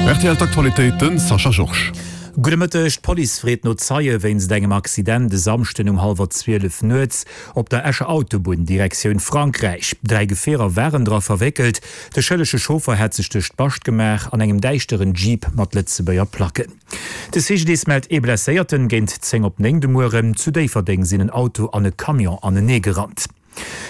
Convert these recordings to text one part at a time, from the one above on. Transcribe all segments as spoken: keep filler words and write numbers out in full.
R T L d'Aktualitéiten, Sascha Georges. Gudde Mëtteg, D'Police freet no Zeie wéinst engem Accident de Samschden um hallwer zwielef nuets op der Escher Autobunn Direktioun Frankräich. Dräi Gefierer waren dra verwéckelt. De schëllege Chauffer hätt sech duerch d'Bascht gemaach an engem däischteren Jeep mat Lëtzebuerger Placken. De C G D I S mellt ee Blesséierten géint zéng op néng de Mueren. Zu Déifferdeng sinn en Auto an e Camion anenee gerannt.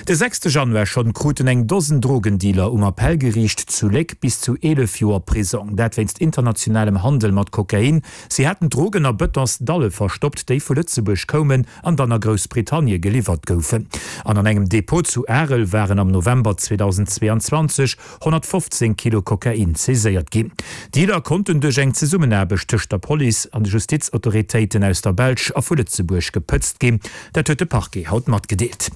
De sechste Januar schonn kruten eng Dosen Drogendealer um Appellgeriicht zu Léck bis zu eelef Joer Prisong. Dat wéinst internationalem Handel mat Kokain. Si haten d'Drogen a Bëtonsdalle verstoppt, déi vu Lëtzebuerg koumen an dann a Groussbritannie geliwwert goufen. An an engem Depot zu Arel waren am November zweedausendzweeanzwanzeg honnertfofzéng Kilo Kokain saiséiert ginn. D'Dealer konnten duerch eng Zesummenaarbecht tëscht der Police an de Justizautoritéiten aus der Belsch a vu Lëtzebuerg gepëtzt ginn. Dat huet de Parquet haut matgedeelt.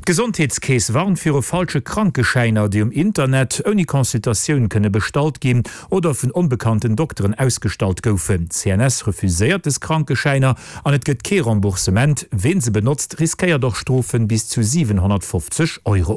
D'Gesondheetskeess warnt viru falsche Krankeschäiner, déi um Internet ouni Consultatioun kënne bestallt ginn oder vun onbekannten Dokteren ausgestallt goufen. D'C N S refuséiert dës Krankeschäiner an et gëtt kee Remboursement. Ween se benotzt, riskéiert och Strofen bis zu siwenhonnertfofzeg Euro.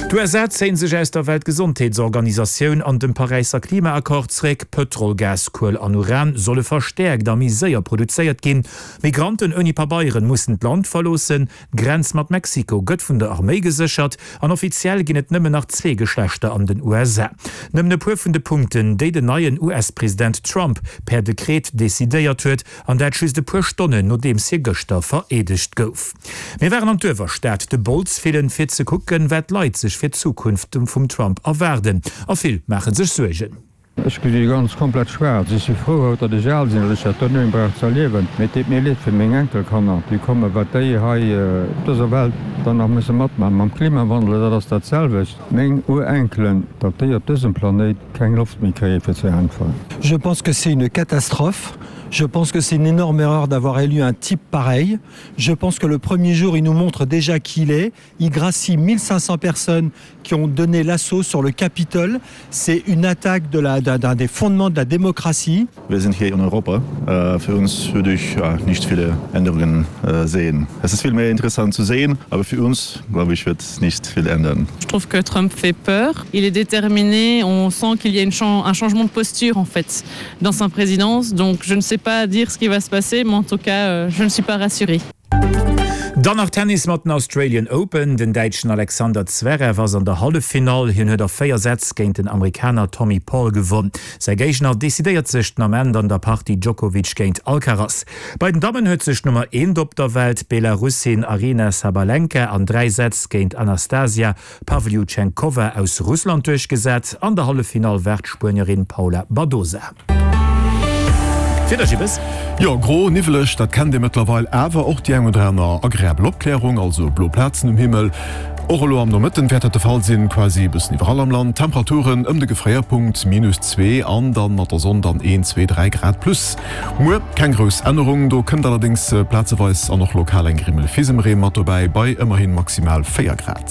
D'U S A zéien sech aus der Weltgesondheetsorganisatioun an dem Paräisser Klimaaccord zréck. Pëtrol, Gas, Kuel an Uran solle verstäerkt a méi séier produzéiert ginn. Migranten ouni Pabeieren mussen d'Land verloossen. D'Grenz mat Mexiko gëtt vun der Arméi geséchert an offiziell ginn et nëmmen nach zwee Geschlechter an den U S A. Nëmmen e puer vun de Punkten, déi den neien U S-President Trump per Dekret decidéiert huet, an dat just e puer Stonnen nodeems hie gëschter vereedegt gouf. Mir waren an d'Uewerstad de Bols fillen, fir ze kucken, wat d'Leit sech fir d'Zukunft vum Trump erwaarden. A vill maache sech Suergen. Ech gesi ganz komplett schwaarz. Ech si frou haut, datt ech al sinn, datt ech dat do net méi brauch ze erliewen. Mee et deet mir leed fir meng Enkelkanner, déi kommen, wat déi hei op dëser Welt dann nach musse matmaachen. Mam Klimawandel, dat ass dat selwecht. Meng Urenkelen, datt déi op dësem Planéit keng Loft méi kréie fir ze äntweren. Je pense que c'est une catastrophe. Je pense que c'est une énorme erreur d'avoir élu un type pareil. Je pense que le premier jour, il nous montre déjà qui il est. Il gracie mille cinq cents personnes qui ont donné l'assaut sur le Capitole. C'est une attaque de la, d'un des fondements de la démocratie. Wir sind hier in Europa. Äh, für uns würde ich ja nicht viele Änderungen äh, sehen. Es ist viel mehr interessant zu sehen, aber für uns, glaube ich, wird es nicht viel ändern. Je trouve que Trump fait peur. Il est déterminé. On sent qu'il y a une chan un changement de posture en fait dans sa présidence. Donc je ne sais pas dire ce qui va se passer, mais en tout cas, euh, je ne suis pas rassurée. Dann nach Tennis mat den Australian Open. Den Däitschen Alexander Zverev ass an der Halleffinall. Hien huet a véier Sätz géint den Amerikaner Tommy Paul gewonnen. Säi Géigner decidéiert sech den Ament an der Partie Djokovic géint Alcaraz. Bei den Dammen huet sech d'Nummer eent op der Welt, d'Belarussin Aryna Sabalenka, an dräi Sätz géint Anastasia Pavlyuchenkova aus Russland duerchgesat. An der Halleffinall waart d'Spuenierin Paula Badosa. D'Wieder, Gibbes. Jo, gro, niwweleg, dat kennt Dir mëttlerweil, awer och déi eng oder aner agreabel Opklärung, also blo Plazen um Himmel. Och elo am Nomëtten wäert dat de Fall sinn, quasi e bëssen iwwerall am Land. Temperaturen ëm de Gefréierpunkt, minus zwee, an dann mat der Sonn dann een, zwee, dräi Grad plus. Muer keng grouss Ännerung, do kënnt allerdéngs plazeweis an och lokal eng Grimmel Fisemreen mat dobäi, bei ëmmerhin maximal véier Grad.